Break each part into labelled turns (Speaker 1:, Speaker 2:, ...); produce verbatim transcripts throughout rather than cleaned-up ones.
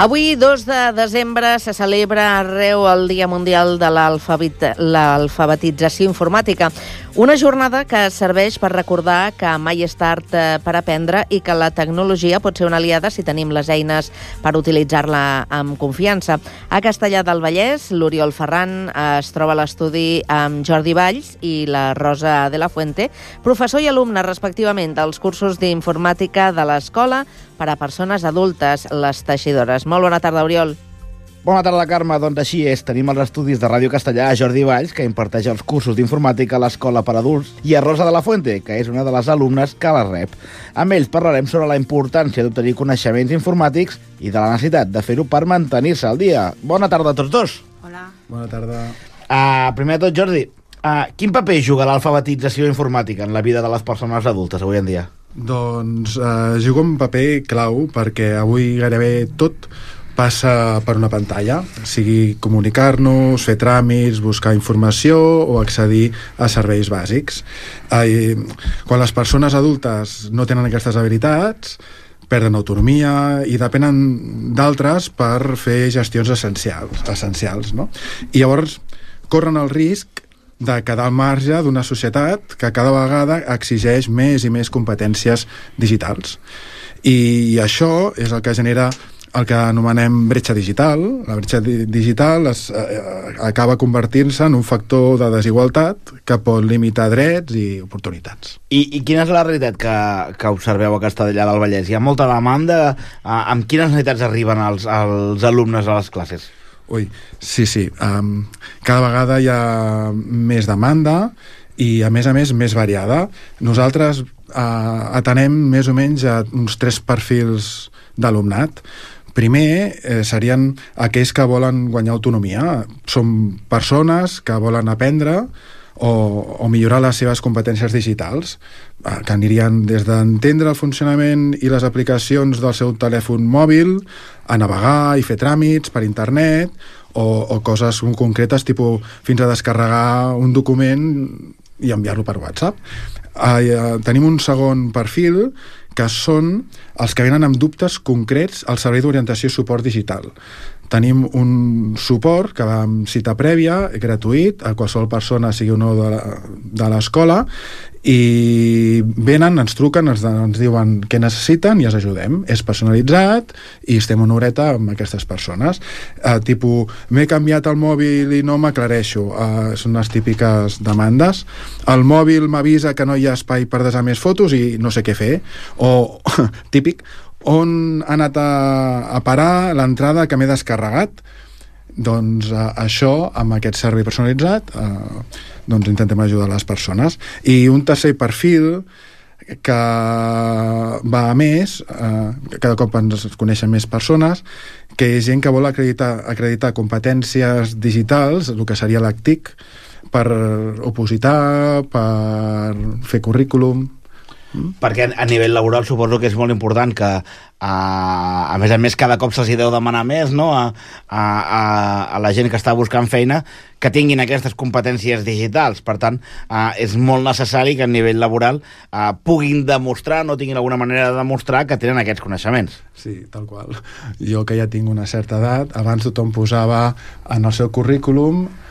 Speaker 1: Avui, dos de desembre, se celebra arreu el Dia Mundial de l'Alfabetització Informàtica, una jornada que serveix per recordar que mai és tard per aprendre i que la tecnologia pot ser una aliada si tenim les eines per utilitzar-la amb confiança. A Castellar del Vallès, l'Oriol Ferran es troba a l'estudi amb Jordi Valls i la Rosa de la Fuente, professor i alumne respectivament dels cursos d'informàtica de l'escola per a persones adultes, les teixidores. Molt bona tarda, Oriol.
Speaker 2: Bona tarda, Carme. Doncs així és. Tenim els estudis de Ràdio Castellà a Jordi Valls, que imparteix els cursos d'informàtica a l'Escola per Adults, i a Rosa de la Fuente, que és una de les alumnes que la rep. Amb ells parlarem sobre la importància d'obtenir coneixements informàtics i de la necessitat de fer-ho per mantenir-se al dia. Bona tarda a tots dos.
Speaker 3: Hola.
Speaker 4: Bona tarda.
Speaker 2: Uh, primer de tot, Jordi, uh, quin paper juga l'alfabetització informàtica en la vida de les persones adultes avui en dia?
Speaker 4: Doncs eh, juga un paper clau perquè avui gairebé tot passa per una pantalla, sigui comunicar-nos, fer tràmits, buscar informació o accedir a serveis bàsics. Eh, quan les persones adultes no tenen aquestes habilitats, perden autonomia i depenen d'altres per fer gestions essencials, essencials, no? I llavors corren el risc de quedar al marge d'una societat que cada vegada exigeix més i més competències digitals. I això és el que genera el que anomenem bretxa digital. La bretxa di- digital es, eh, acaba convertint-se en un factor de desigualtat que pot limitar drets i oportunitats.
Speaker 2: I, i quina és la realitat que, que observeu a Castellar del Vallès? Hi ha molta demanda? Uh, amb quines necessitats arriben els, els alumnes a les classes?
Speaker 4: Ui, sí, sí. Um, cada vegada hi ha més demanda i, a més a més, més variada. Nosaltres uh, atenem més o menys a uns tres perfils d'alumnat. Primer, eh, serien aquells que volen guanyar autonomia. Són persones que volen aprendre o, o millorar les seves competències digitals, eh, que anirien des d'entendre el funcionament i les aplicacions del seu telèfon mòbil, a navegar i fer tràmits per internet, o, o coses concretes, tipus fins a descarregar un document i enviar-lo per WhatsApp. Eh, eh, tenim un segon perfil, que són els que venen amb dubtes concrets al servei d'orientació i suport digital. Tenim un suport que va amb cita prèvia, gratuït, a qualsevol persona, sigui o no de, de l'escola, i venen, ens truquen, ens, ens diuen què necessiten i els ajudem. És personalitzat i estem una horeta amb aquestes persones. Eh, tipus, m'he canviat el mòbil i no m'aclareixo. Eh, són les típiques demandes. El mòbil m'avisa que no hi ha espai per desar més fotos i no sé què fer. O, típic, on ha anat a, a parar l'entrada que m'he descarregat? Doncs eh, això, amb aquest servei personalitzat, eh, doncs intentem ajudar les persones. I un tercer perfil que va a més, eh, cada cop ens coneixen més persones, que és gent que vol acreditar, acreditar competències digitals, el que seria l'A C T I C, per opositar, per fer currículum.
Speaker 2: Perquè a nivell laboral suposo que és molt important que a, a més a més cada cop se'ls deu demanar més, no? a, a, a la gent que està buscant feina que tinguin aquestes competències digitals. Per tant, a, és molt necessari que a nivell laboral a, puguin demostrar, no tinguin alguna manera de demostrar que tenen aquests coneixements.
Speaker 4: Sí, tal qual. Jo que ja tinc una certa edat, abans tothom posava en el seu currículum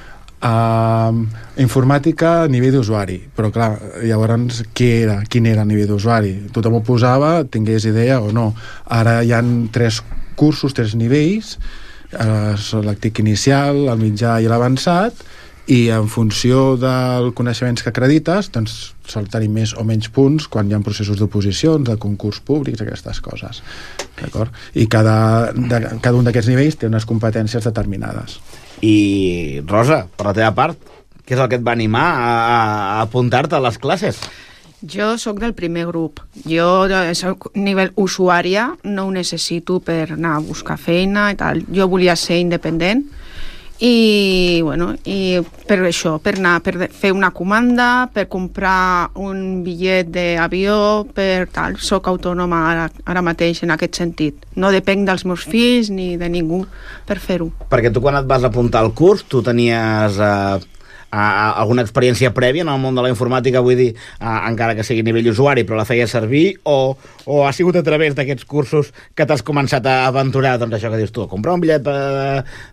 Speaker 4: Uh, informàtica a nivell d'usuari, però clar, llavors què era, quin era a nivell d'usuari? Tothom ho posava, tingués idea o no. Ara hi ha tres cursos, tres nivells, uh, són l'A C T I C inicial, el mitjà i l'avançat, i en funció dels coneixements que acredites, doncs sol tenir més o menys punts quan hi ha processos d'oposicions, de concurs públics, aquestes coses. D'acord? I cada, de, cada un d'aquests nivells té unes competències determinades.
Speaker 2: I, Rosa, per la teva part, què és el que et va animar a, a apuntar-te a les classes?
Speaker 3: Jo sóc del primer grup. Jo, soc nivell usuària, no ho necessito per anar a buscar feina i tal. Jo volia ser independent i, bueno, i per això, per anar, per fer una comanda, per comprar un bitllet d'avió, per tal. Soc autònoma ara, ara mateix en aquest sentit. No depenc dels meus fills ni de ningú per fer-ho.
Speaker 2: Perquè tu quan et vas apuntar al curs, tu tenies... Eh, uh, alguna experiència prèvia en el món de la informàtica, vull dir, uh, encara que sigui a nivell usuari, però la feia servir, o, o ha sigut a través d'aquests cursos que t'has començat a aventurar, doncs això que dius tu, a comprar un bitllet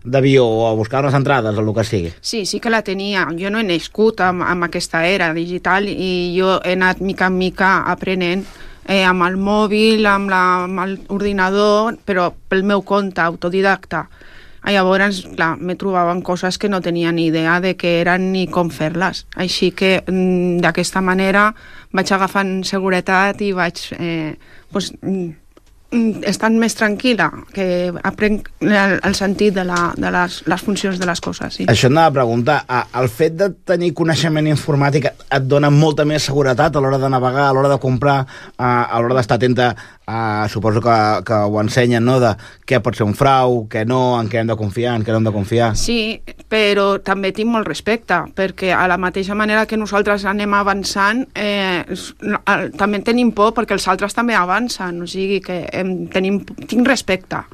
Speaker 2: d'avió o a buscar unes entrades o el que sigui?
Speaker 3: Sí, sí que la tenia. Jo no he nascut amb, amb aquesta era digital i jo he anat mica en mica aprenent eh, amb el mòbil, amb l'ordinador, però pel meu compte, autodidacta. I llavors, clar, me trobava amb coses que no tenia ni idea de què eren ni com fer-les. Així que d'aquesta manera vaig agafant seguretat i vaig eh, pues, estant més tranquil·la, que aprenc el, el sentit de, la, de les, les funcions de les coses. Sí.
Speaker 2: Això anava a preguntar, el fet de tenir coneixement informàtic et dona molta més seguretat a l'hora de navegar, a l'hora de comprar, a l'hora d'estar atenta, a, suposo que, que ho ensenyen, no?, de què pot ser un frau, què no, en què hem de confiar, en què no hem de confiar.
Speaker 3: Sí, però també tinc molt respecte, perquè a la mateixa manera que nosaltres anem avançant, eh, també tenim por perquè els altres també avancen, o sigui que em, tenim, tinc respecte.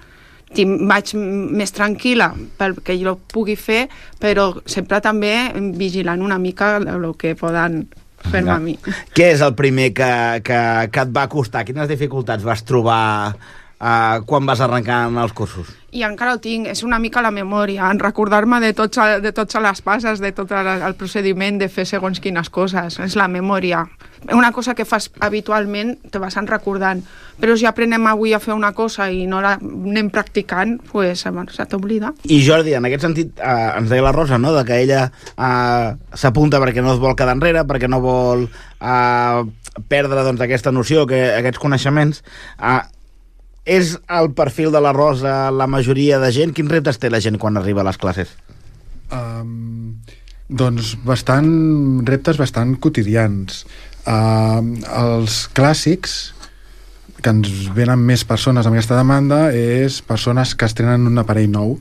Speaker 3: Tinc, vaig més tranquil·la perquè jo ho pugui fer, però sempre també vigilant una mica el que poden fer-me a mi.
Speaker 2: Què és el primer que, que, que et va costar? Quines dificultats vas trobar uh, quan vas arrencar en els cursos?
Speaker 3: I encara ho tinc, és una mica la memòria, en recordar-me de, tots, de totes les passes, de tot el, el procediment de fer segons quines coses, és la memòria. Una cosa que fas habitualment te vas recordant, però si aprenem avui a fer una cosa i no la anem practicant, pues, se t'oblida.
Speaker 2: I Jordi, en aquest sentit, eh, ens deia la Rosa, no?, de que ella eh, s'apunta perquè no es vol quedar enrere, perquè no vol eh, perdre doncs, aquesta noció, que, aquests coneixements. Eh, és el perfil de la Rosa la majoria de gent? Quins reptes té la gent quan arriba a les classes?
Speaker 4: Um, doncs bastant reptes bastant quotidians. Uh, els clàssics que ens venen més persones amb aquesta demanda és persones que estrenen un aparell nou,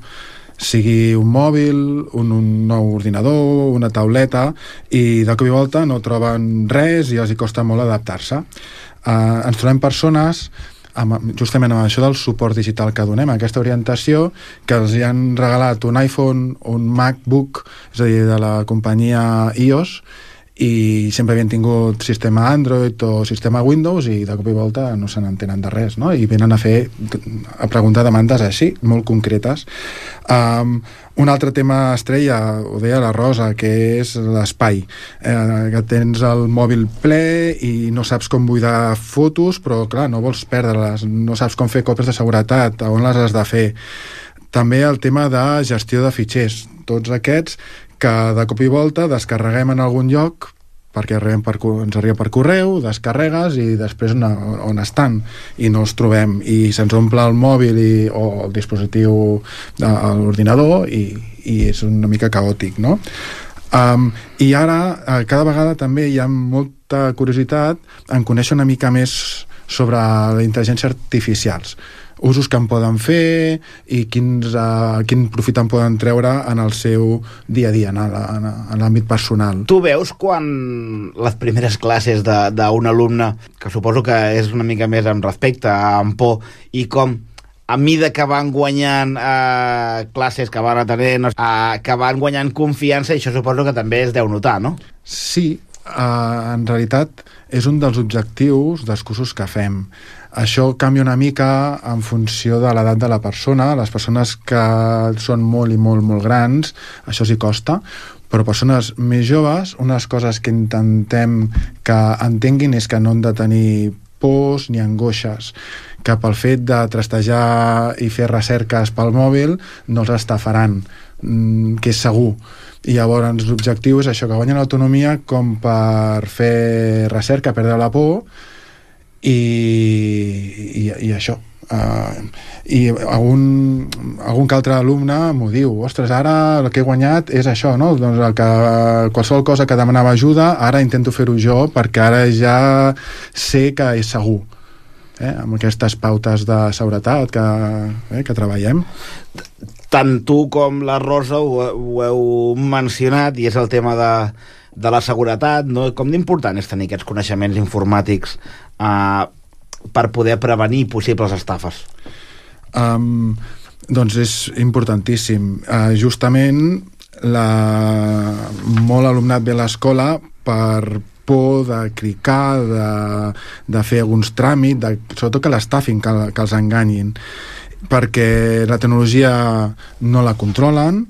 Speaker 4: sigui un mòbil, un, un nou ordinador, una tauleta, i de cop i volta no troben res i els hi costa molt adaptar-se. Uh, ens trobem persones amb, justament amb això del suport digital que donem, aquesta orientació, que els hi han regalat un iPhone, un MacBook, és a dir, de la companyia i o essa, i sempre havien tingut sistema Android o sistema Windows i de cop i volta no se n'entenen de res, no? I venen a fer, a preguntar demandes així, molt concretes. Um, un altre tema estrella, ho deia la Rosa, que és l'espai, eh, que tens el mòbil ple i no saps com buidar fotos, però clar, no vols perdre-les, no saps com fer còpies de seguretat, on les has de fer. També el tema de gestió de fitxers, tots aquests que de cop i volta descarreguem en algun lloc perquè per, ens arriba per correu, descarregues i després on, on estan i no els trobem i se'ns omple el mòbil i, o el dispositiu de l'ordinador i, i és una mica caòtic, no? Um, i ara cada vegada també hi ha molta curiositat en conèixer una mica més sobre la intel·ligència artificials, usos que en poden fer i quins, uh, quin profit en poden treure en el seu dia a dia, en l'àmbit personal.
Speaker 2: Tu veus quan les primeres classes d'un alumne, que suposo que és una mica més amb respecte, amb por, i com a mida que van guanyant eh, classes, que van atenent, eh, que van guanyant confiança, i això suposo que també es deu notar, no?
Speaker 4: Sí, Uh, en realitat és un dels objectius dels cursos que fem. Això canvia una mica en funció de l'edat de la persona. Les persones que són molt i molt molt grans, això sí costa, però persones més joves, unes coses que intentem que entenguin és que no han de tenir pors ni angoixes, que pel fet de trastejar i fer recerques pel mòbil no els estafaran, que és segur. I llavors l'objectiu és això, que guanyen autonomia com per fer recerca, perdre la por i, i, i això. Uh, i algun, algun que altre alumne m'ho diu, ostres, ara el que he guanyat és això, no? Doncs el que, qualsevol cosa que demanava ajuda ara intento fer-ho jo perquè ara ja sé que és segur, eh? Amb aquestes pautes de seguretat que, eh, que treballem.
Speaker 2: Tant tu com la Rosa ho, ho heu mencionat, i és el tema de, de la seguretat, no? Com d'important és tenir aquests coneixements informàtics eh, per poder prevenir possibles estafes?
Speaker 4: Um, doncs és importantíssim. Uh, justament la... molt alumnat ve a l'escola per por de cricar, de, de fer alguns tràmits, de, sobretot que l'estafin, que, que els enganyin, perquè la tecnologia no la controlen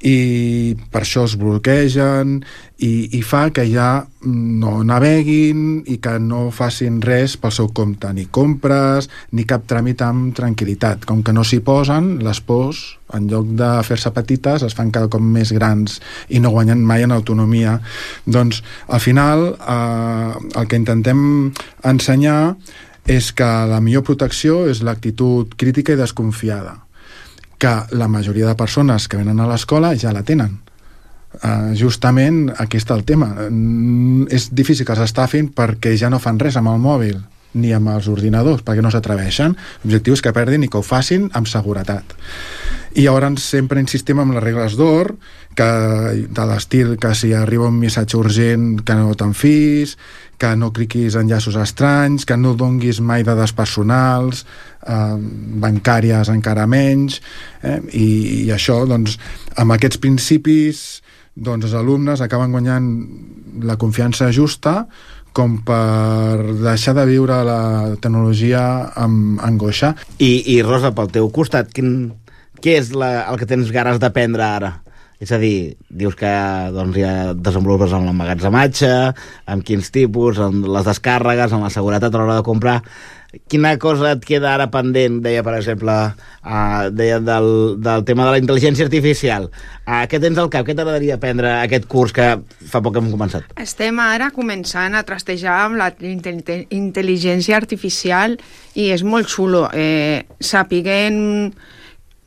Speaker 4: i per això es bloquegen i, i fa que ja no naveguin i que no facin res pel seu compte, ni compres ni cap tràmit amb tranquil·litat. Com que no s'hi posen, les pors en lloc de fer-se petites es fan cada cop més grans i no guanyen mai en autonomia. Doncs al final eh, el que intentem ensenyar és que la millor protecció és l'actitud crítica i desconfiada, que la majoria de persones que venen a l'escola ja la tenen. Uh, justament aquí està el tema. Mm, és difícil que s'estafin perquè ja no fan res amb el mòbil ni amb els ordinadors, perquè no s'atreveixen. L'objectiu és que perdin i que ho facin amb seguretat. I llavors sempre insistim en les regles d'or, que, de l'estil que si arriba un missatge urgent que no te'n fis, que no cliquis en enllaços estranys, que no donguis mai dades personals, eh, bancàries encara menys, eh? I, i això, doncs, amb aquests principis, doncs, els alumnes acaben guanyant la confiança justa com per deixar de viure la tecnologia amb angoixa.
Speaker 2: I, i Rosa, pel teu costat, quin, què és la, el que tens ganes d'aprendre ara? És a dir, dius que doncs, ja desenvolupes amb l'emmagatzematge, amb quins tipus, amb les descàrregues, amb la seguretat a l'hora de comprar. Quina cosa et queda ara pendent? Deia, per exemple, uh, deia del, del tema de la intel·ligència artificial. Uh, què tens al cap? Què t'agradaria aprendre aquest curs que fa poc que hem començat?
Speaker 3: Estem ara començant a trastejar amb la intel·ligència artificial i és molt xulo. Eh, sapiguem...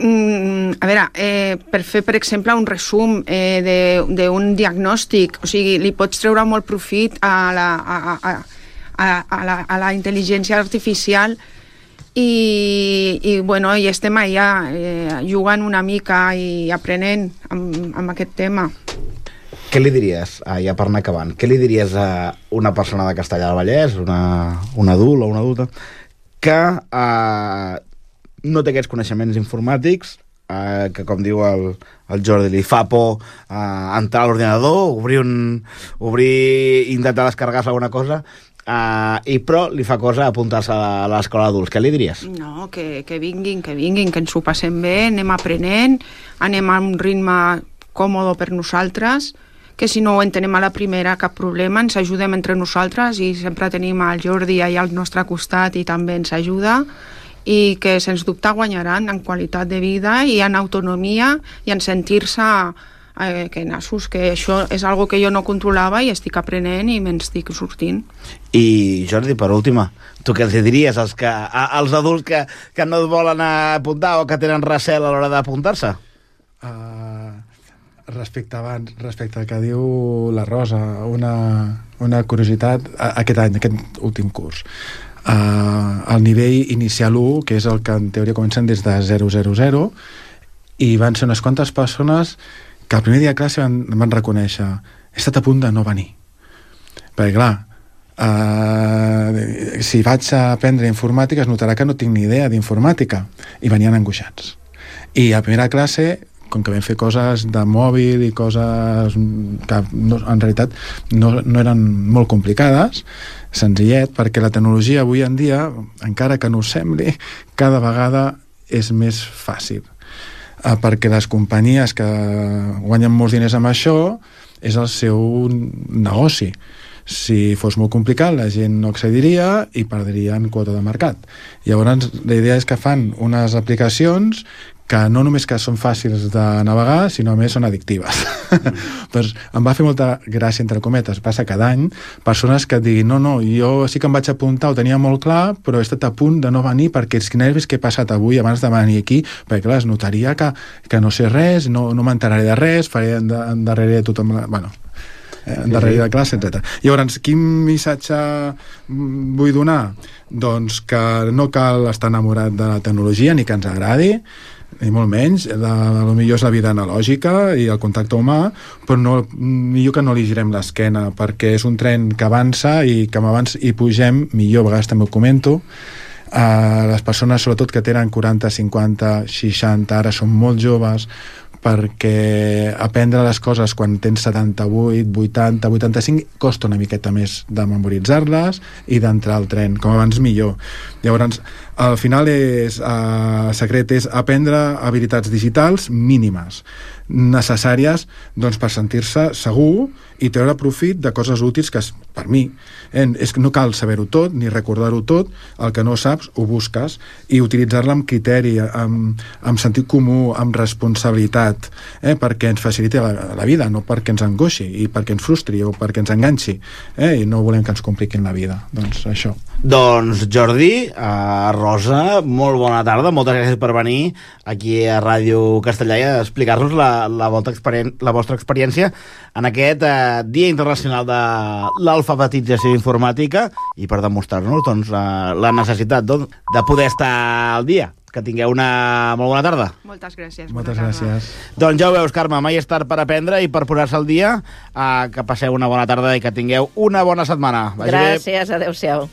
Speaker 3: Mm, a veure, eh, per fer, per exemple, un resum eh, d'un diagnòstic, o sigui, li pots treure molt profit a la, a, a, a, a la, a la intel·ligència artificial i, i, bueno, i estem allà eh, jugant una mica i aprenent amb, amb aquest tema.
Speaker 2: Què li diries, ah, ja per anar acabant, què li diries a una persona de Castellar del Vallès, una, un adult o una adulta, que... Eh, no té aquests coneixements informàtics, eh, que com diu el, el Jordi, li fa por eh, entrar a l'ordinador, obrir un, obrir intentar descarregar-se alguna cosa, eh, i però li fa cosa apuntar-se a l'escola d'adults. Què li diries?
Speaker 3: No, que, que vinguin, que vinguin, que ens ho passem bé, anem aprenent, anem a un ritme còmode per nosaltres, que si no ho entenem a la primera, cap problema, ens ajudem entre nosaltres i sempre tenim el Jordi allà al nostre costat i també ens ajuda, i que sens dubte guanyaran en qualitat de vida i en autonomia i en sentir-se eh, que nassos, que això és algo que jo no controlava i estic aprenent i me'n estic sortint.
Speaker 2: I Jordi, per última, tu què els diries als, que, a, als adults que, que no es volen apuntar o que tenen recel a l'hora d'apuntar-se?
Speaker 4: Uh, respecte abans, respecte al que diu la Rosa, una, una curiositat, aquest any, aquest últim curs. Uh, el nivell inicial u, que és el que en teoria comencen des de zero zero zero, i van ser unes quantes persones que el primer dia de classe van, van reconèixer he estat a punt de no venir, perquè clar, uh, si vaig a aprendre informàtica es notarà que no tinc ni idea d'informàtica, i venien angoixats. I a primera classe, com que vam fer coses de mòbil i coses que no, en realitat no, no eren molt complicades, senzillet, perquè la tecnologia avui en dia, encara que no ho sembli, cada vegada és més fàcil. Eh, perquè les companyies que guanyen molts diners amb això és el seu negoci. Si fos molt complicat, la gent no accediria i perdrien quota de mercat. Llavors, la idea és que fan unes aplicacions que no només que són fàcils de navegar, sinó a més són addictives. Mm. Doncs em va fer molta gràcia, entre cometes, passa cada any, persones que et diguin, no, no, jo sí que em vaig apuntar, ho tenia molt clar, però he estat a punt de no venir perquè els nervis que he passat avui abans de venir aquí, perquè clar, es notaria que, que no sé res, no, no m'enteraré de res, faré endarrere de tothom... La... Bueno, endarrere de classe, etcètera. Llavors, quin missatge vull donar? Doncs que no cal estar enamorat de la tecnologia ni que ens agradi, ni molt menys, la, la millor és la vida analògica i el contacte humà, però no, millor que no li girem l'esquena, perquè és un tren que avança i que abans hi pugem, millor, a vegades també ho comento, uh, les persones sobretot que tenen quaranta, cinquanta, seixanta, ara són molt joves, perquè aprendre les coses quan tens setanta-vuit, vuitanta, vuitanta-cinc costa una miqueta més de memoritzar-les i d'entrar al tren, com abans millor. Llavors, al final és, eh, el secret és aprendre habilitats digitals mínimes, necessàries doncs, per sentir-se segur i treure profit de coses útils que, per mi, eh, és que no cal saber-ho tot ni recordar-ho tot, el que no saps ho busques i utilitzar-la amb criteri, amb, amb sentit comú, amb responsabilitat, eh, perquè ens faciliti la, la vida, no perquè ens angoixi i perquè ens frustri o perquè ens enganxi, eh, i no volem que ens compliquin la vida. Doncs això.
Speaker 2: Doncs Jordi, uh, Rosa, molt bona tarda, moltes gràcies per venir aquí a Ràdio Castellà i a explicar-nos la, la, la vostra experiència en aquest uh, Dia Internacional de l'Alfabetització Informàtica i per demostrar-nos doncs, la, la necessitat doncs, de poder estar al dia. Que tingueu una molt bona tarda.
Speaker 3: Moltes gràcies.
Speaker 4: Moltes gràcies.
Speaker 2: Doncs ja ho veus, Carme, mai és tard per aprendre i per posar-se al dia. Uh, que passeu una bona tarda i que tingueu una bona setmana. Vagi
Speaker 1: gràcies, adeu-siau.